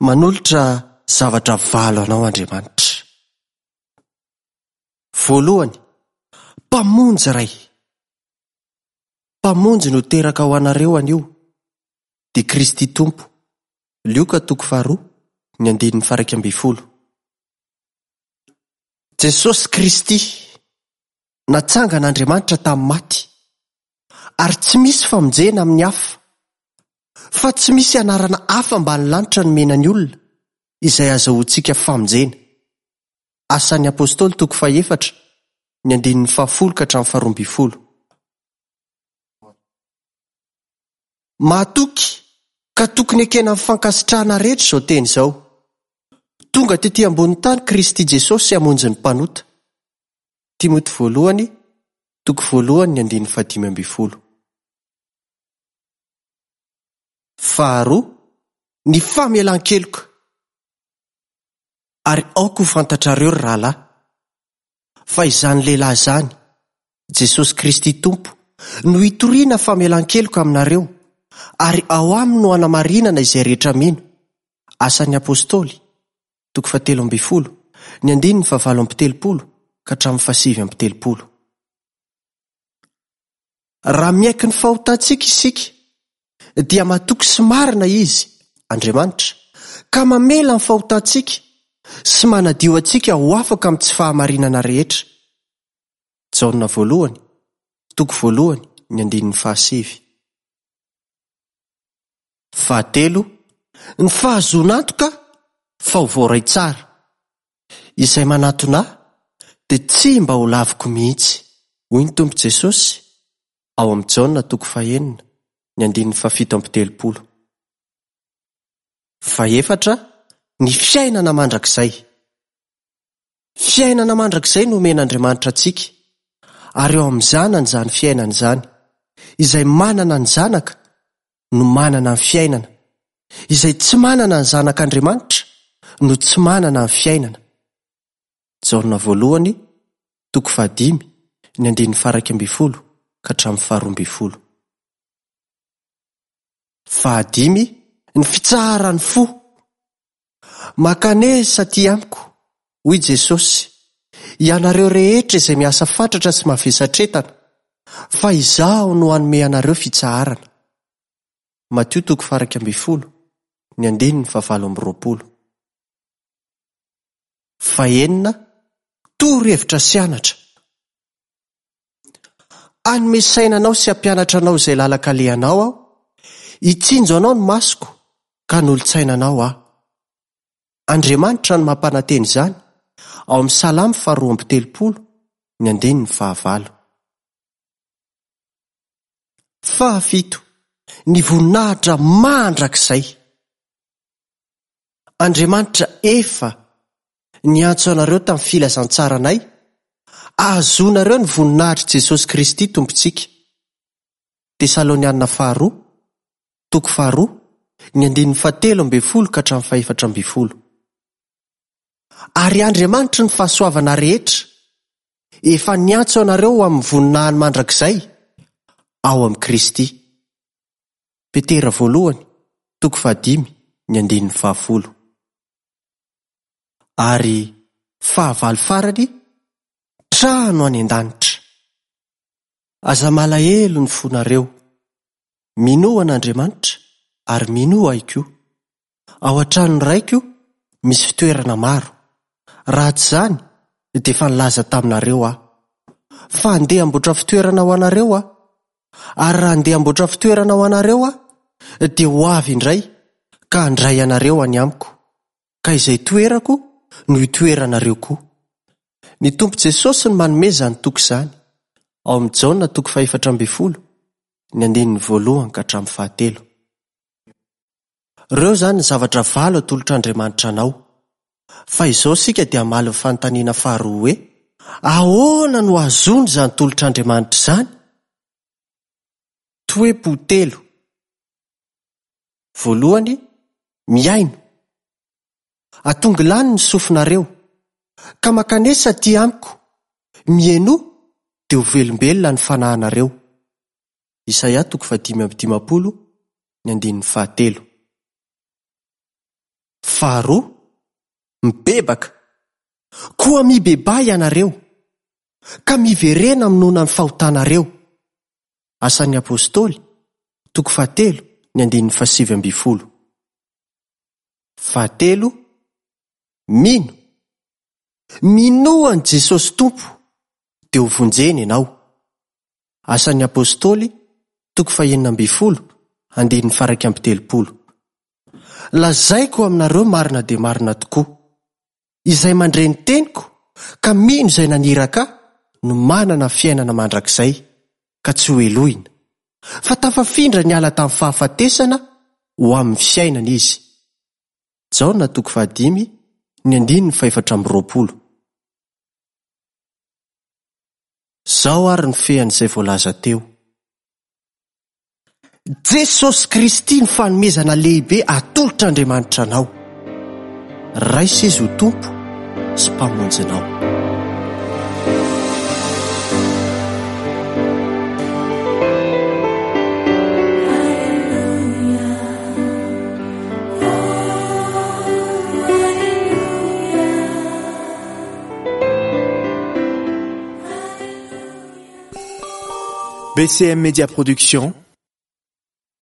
Manolotra zavatra valo anao Andriamanitra. Voalohany, Mpamonjy iray. Mpamonjy no teraka ho anareo anio, dia Kristy Tompo. Lioka toko faharoa, ny andininy faha-11. Jesosy Kristy, natsangan'Andriamanitra tamin'ny maty, ary tsy misy famonjena amin'ny hafa, fa tsy misy anarana hafa ambany lanitra nomena ny olona, izay azahoantsika famonjena. Asan'ny Apostoly toko fahefatra, ny andininy fahafolo ka hatramin'ny faharoambinifolo. Mahatoky ka tokony ekena amin'ny fankasitrahana rehetra izao teny izao, Tonga tetỳ ambonin'ny tany Kristy Jesosy hamonjy ny mpanota. Timoty voalohany, toko voalohany ny andininy fahadimy ambin'ny folo. Faharoa, ny famelan-keloka. Ary aoka ho fantatrareo, ry rahalahy, fa izany lehilahy izany, Jesosy Kristy Tompo, no hitoriana famelan-keloka aminareo, ary ao aminy no hanamarinana izay rehetra mino. Asan'ny Apostoly, toko fahatelo ambin'ny folo, ny andininy fahavalo amby telopolo ka hatramin'ny fahasivy amby telopolo. Raha miaiky ny fahotantsika isika, dia matoky sy marina Izy, Andriamanitra, ka mamela ny fahotantsika sy manadio antsika ho afaka amin'ny tsy fahamarinana rehetra. Jaona voalohany, toko voalohany, ny andininy fahasivy. Fahatelo, ny fahazoana antoka fa ho voaray tsara. Izay manatona Ahy dia tsy mba ho laviko mihitsy, hoy ny Tompo Jesosy ao amin'ny Jaona toko fahenina, ny andininy fahafito amby telopolo. Fahefatra, ny fiainana mandrakizay. Fiainana mandrakizay no omen'Andriamanitra antsika, ary ao amin'ny Zanany izany fiainana izany. Izay manana ny Zanaka no manana ny fiainana. Izay tsy manana ny Zanak'Andriamanitra no tsy manana ny fiainana. Jaona voalohany, toko fahadimy, ny andininy faha-iraika ambin'ny folo ka hatramin'ny faharoa ambin'ny folo. Fahadimy, ny fitsaharan'ny fo. Mankanesa aty amiko, hoy Jesosy, ianareo rehetra izay miasa fatratra sy mavesatretana, fa Izaho no hanome anareo fitsaharana. Matio toko faha-11, ny andininy fahavalo amby roapolo. Fahenina, torohevitra sy anatra. Hanome saina anao sy hampianatra anao izay lalan-kalehanao aho, hitsinjo anao ny masoko ka hanolo-tsaina anao aho. Andriamanitra no mampanantena izany ao amin'ny Salamo faharoa amby telopolo, ny andininy fahavalo. Fahafito, ny voninahitra mandrakizay. Andriamanitra efa niantso anareo tamin'ny filazantsaranay, ahazoanareo ny voninahitr'i Jesosy Kristy Tompontsika. Tesaloniana faharoa, toko faharoa, ny andininy fahatelo ambin'ny folo ka hatramin'ny fahefatra ambin'ny folo. Ary Andriamanitry ny fahasoavana rehetra, efa niantso anareo ho amin'ny voninahiny mandrakizay ao amin'i Kristy. Petera voalohany, toko fahadimy, ny andininy fahafolo. Ary fahavalo farany, trano any an-danitra. Aza malahelo ny fonareo. Minoa an'Andriamanitra ary minoa Ahy koa. Ao an-tranon'ny Raiko misy fitoerana maro. Raha tsy izany, dia efa nilaza taminareo Aho. Fa handeha hamboatra fitoerana ho anareo Aho. Ary raha handeha hamboatra fitoerana ho anareo Aho, dia ho avy indray ka handray anareo any amiko, ka izay toerako no hitoeranareo koa. Ny Tompo Jesosy no manome izany toky izany, ao amin'ny Jaona toko fahefatra ambin'ny folo, ny andininy voalohany ka hatramin'ny fahatelo. Ireo izany ny zavatra valo atolotr'Andriamanitra anao. Fa izao isika dia hamaly ny fanontaniana faharoa hoe, Ahoana no ahazoana izany tolotr'Andriamanitra izany? Toe-po telo. Voalohany, mihaino. Atongilano ny sofinareo, ka mankanesa aty amiko, mihainoa dia ho velombelona ny fanahinareo. Isaia toko fahadimy amby dimampolo, ny andininy fahatelo. Faharoa, mibebaka. Koa mibebaha ianareo, ka miverena minoana ny fahotanareo. Asan'ny Apostoly, toko fahatelo, ny andininy fahasivy ambin'ny folo. Fahatelo, mino. Minoa an'i Jesosy Tompo, dia ho vonjena ianao. Asan'ny Apostoly, toko fahenina ambin'ny folo, andininy faha-31. Lazaiko aminareo marina dia marina tokoa, izay mandre ny teniko ka mino izay naniraka ahy no manana fiainana mandrakizay, ka tsy ho helohina, fa tafafindra niala tamin'ny fahafatesana ho amin'ny fiainana izy. Jaona toko fahadimy, ny andininy fahefatra amby roapolo. Izao ary ny fean'izay voalaza teo. Jesosy Kristy ny fanomezana lehibe atolotr'Andriamanitra anao. Raiso Izy ho Tompo sy Mpamonjinao. BCM Media Production.